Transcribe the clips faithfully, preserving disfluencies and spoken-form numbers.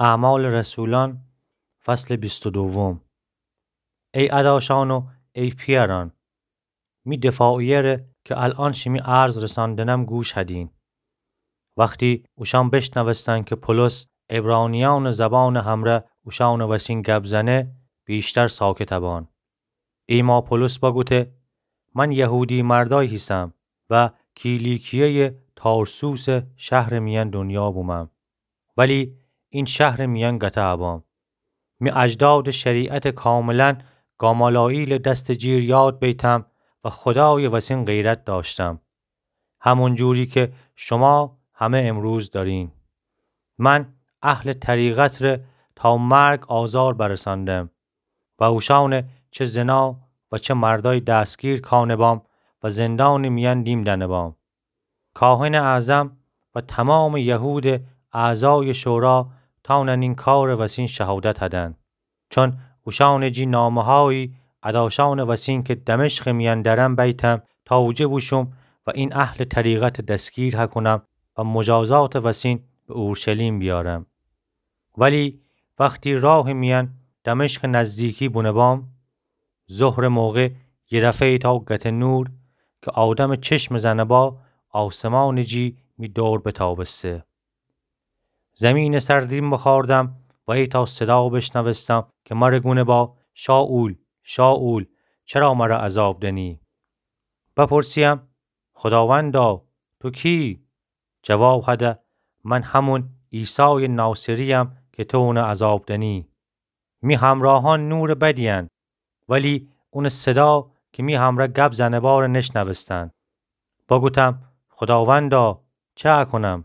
اعمال رسولان، فصل بیست و دوم. ای اداشان و ای پیأران، می دفاعیه‌ره که الأن شیمی عرض رساندنم گوش هدین. وختی اوشأن بشنوستن که پولس عبرانیأنٚ زبانٚ همرأ اوشأنٚ وسین گب زنه، ویشتر ساکت بان. ایما پولس بگوته: من یهودی مردأی هیسم و کیلیکیه‌یٚ تارسوسٚ شهرٚ میأن دونیا بومم، ولی این شهرٚ میأن گته بام. می اجدادٚ شریعتٚ کاملاً گامالائیلٚ دستٚ جیر یاد بیتم و خودایٚ وسین غیرت دأشتم، همون جوری که شما همه امروز دأرین. من اهلٚ طریقتٚره تا مرگ آزار برساندم و اوشأنٚ چه زنا و چه مردأی دستگیر کأنه بام و زندانٚ میأن دیم دأنه بام. کاهنٚ اعظم و تومامٚ یهودٚ اعضایٚ شورا تأنن این کارٚ وسین شهادت هدن، چون اوشأنٚ جی نامه‌هایی اداشأنٚ وسین که دمشقٚ میأن دأرم بیتم تا اوجه بوشوم و این اهلٚ طریقت دستگیر هکونم و مجازاتٚ وسین به اورشلیم بیأرم. ولی وختی راهٚ میأن دمشقٚ نزدیکی بونه بام، ظهرٚ موقع یه دفعه ایتأ گته نور که آدمٚ چشم زنه با آسمانٚ جی می دور بتابسته. زیمینٚ سر دیم بخوأردم و ایتأ صدا بشنوستم که مره گونه با: شائول، شائول، چرا مره عذاب دنی؟ بپرسیم: خوداوندا، تو کی؟ جواب هده: من همون عیسایٚ ناصری‌یم که تو اونه عذاب دنی. می همراهأن نورٚ بدی‌ین، ولی اونٚ صدا که می همرأ گب زنه باره نشنوستن. بگوتم: خوداوندا، چه اکونم؟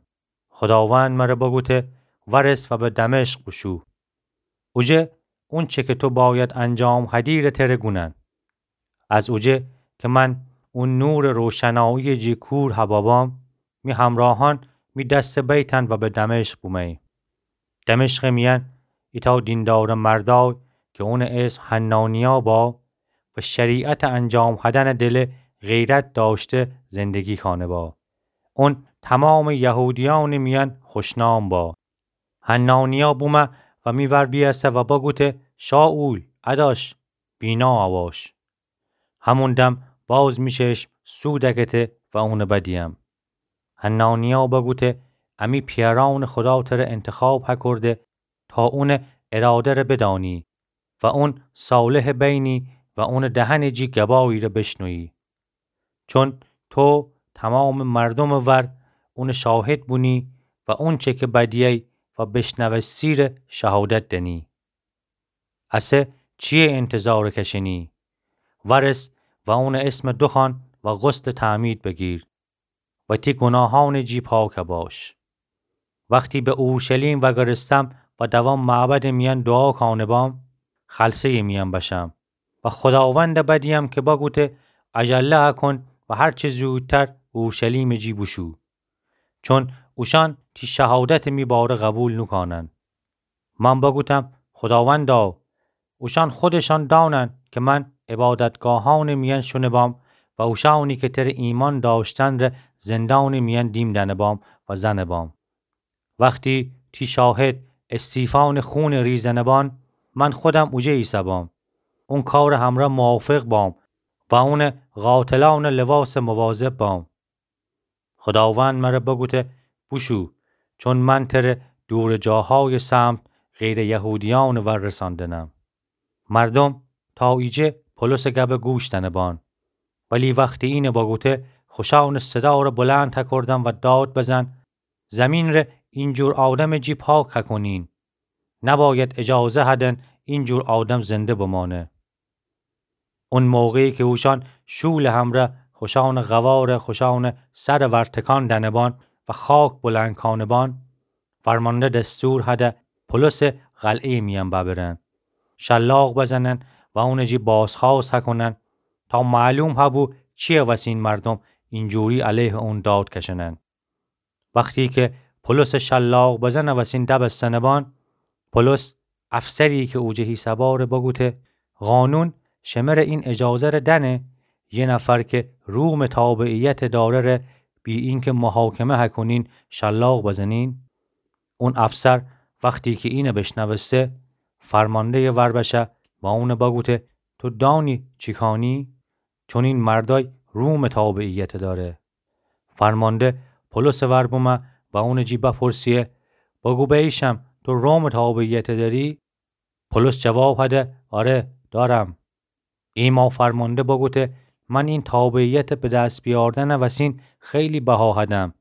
خوداوند مره بگوته: ورس و به دمشق بوشو. اوجه اونچه که تو باید انجام هدیره تره گونن. از اوجه که من اون نورٚ روشناییٚ جی کور هبابام، می همراهأن می دسته بیتن و به دمشق بومه‌یی. دمشقٚ میأن ایتأ دیندارٚ مردأی که اونٚ اسم حنانیا با و شریعتٚ انجام هدنٚ دله غیرت دأشته زندگی کأنه با. اون تومامٚ یهودیأنٚ میأن خوشنام با. حنانیا بومه و می ور بیأسه و بگوته: شائول، اداش، بینا اواش. همون دم باز می چشم سو دکته و اونه بدیم. حنانیا بگوته: امی پیأرأنٚ خودا تره انتخاب هکورده تا اونٚ اراده‌ره بدانی و اون صالحٚ بینی و اونٚ دهنٚ جی گباییره بشنویی. چون تو تومامٚ مردومٚ ور اونٚ شاهد بونی و اونچه که بدیی و بشنوستی ره شهادت دنی. اسه چیه انتظار کشنی؟ ورس و اونٚ اسم دوخوأن و غسلٚ تعمید بگیر و تی گوناهأنٚ جی پاک باش. وختی به اورشلیم وگرستم و دوام معبدٚ میأن دوعا کأنه بام، خلسه‌یٚ میأن بشم و خوداوند بدیم که بگوته: عجله هکون و هر چه زودتر اورشلیمٚ جی بوشو. چون اوشأن تی شهادتٚ می باره قبول نوکأنن. من بگوتم: خوداوندا، اوشأن خودشأن دأنن که من عبادتگاهأنٚ میأن شونه بام و اوشأنی که تره ایمأن دأشتن ره زندانٚ میأن دیم دأنه بام و زنه بام. وختی تی شاهد استیفانٚ خونٚ ریزنه بان، من خودم اوجه ایسه‌بام. اون کارٚ همرأ موافق بام و اونٚ قاتلأنٚ لباسٚ مواظب بام. خوداوند مره بگوته: بوشو، چون من تره دورٚ جاهایٚ سمت غیرٚ یهودیأنٚ ور رساندنم. مردوم تا ایجه پولسٚ گبٚ گوش دأنه بان. ولی وختی اینه بگوته، خوشأنٚ صداره بلند هکردن و داد بزن: زیمین ره اینجور آدمٚ جی پاک هکونین. نباید اجازه هدن اینجور آدم زنده بمأنه. اون موقعی که اوشأن شولٚ همرأ خوشأنٚ قواره خوشأنٚ سرٚ ور تکان دأنه بان و خاک بلند کأنه بان، فرمانده دستور هده پولسٚ قلعه‌یٚ میأن ببرن، شلاق بزنن و اونٚ جی بازخوأست هکونن تا معلوم هبو چیه وسین مردوم اینجوری علیهٚ اون داد کشنن. وختی که پولسٚ شلاق بزنٚ وسین دبستنه بان، پولس افسری که اوجه هیسه‌باره بگوته: قانون شمره این اجازه‌ره دأنه یه نفر که رومٚ تابعیت دأره ره بی اینکه محاکمه هکونین شلاق بزنین؟ اون افسر وختی کی اینه بیشنوسته، فرمانده‌یٚ وربشه و اونه بگوته: تو دانی چی کانی؟ چون این مردأی رومٚ تابعیت دأره. فرمانده پولسٚ ور بومه و اونٚ جی بپرسه: بگو بیشم، تو رومٚ تابعیت دأری؟ پولس جواب هده: آره، دأرم. ایما فرمانده بگوته: من این تابعیت به دس بیأردنٚ وسین خیلی بها هدم.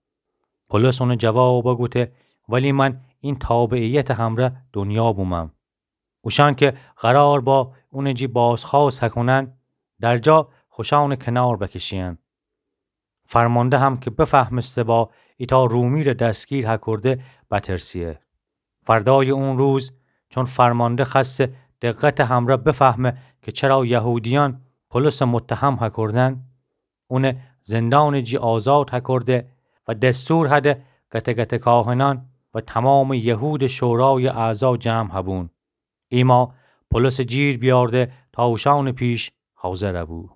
پولس اونٚ جواب بگوته: ولی من این تابعیتٚ همرأ دونیا بومم. اوشأن که قرار با اونٚ جی بازخوأست هکونن، در جا خوشأنٚ کنار بکشیین. فرمانده هم که بفهمسته با ایتأ رومی ره دستگیر هکورده، بترسیه. فردایٚ اون روز، چون فرمانده خوأسته دقتٚ همرأ بفهمه که چرا یهودیأن پولسٚ متهم هکوردن، اونه زندانٚ جی آزاد هکورده و دستور هده گته‌گته کاهنأن و تمامٚ یهودٚ شورایٚ اعضا جمع هبون. ایما پولسٚ جیر بیأرده تا اوشأنٚ پیش حاضر بو.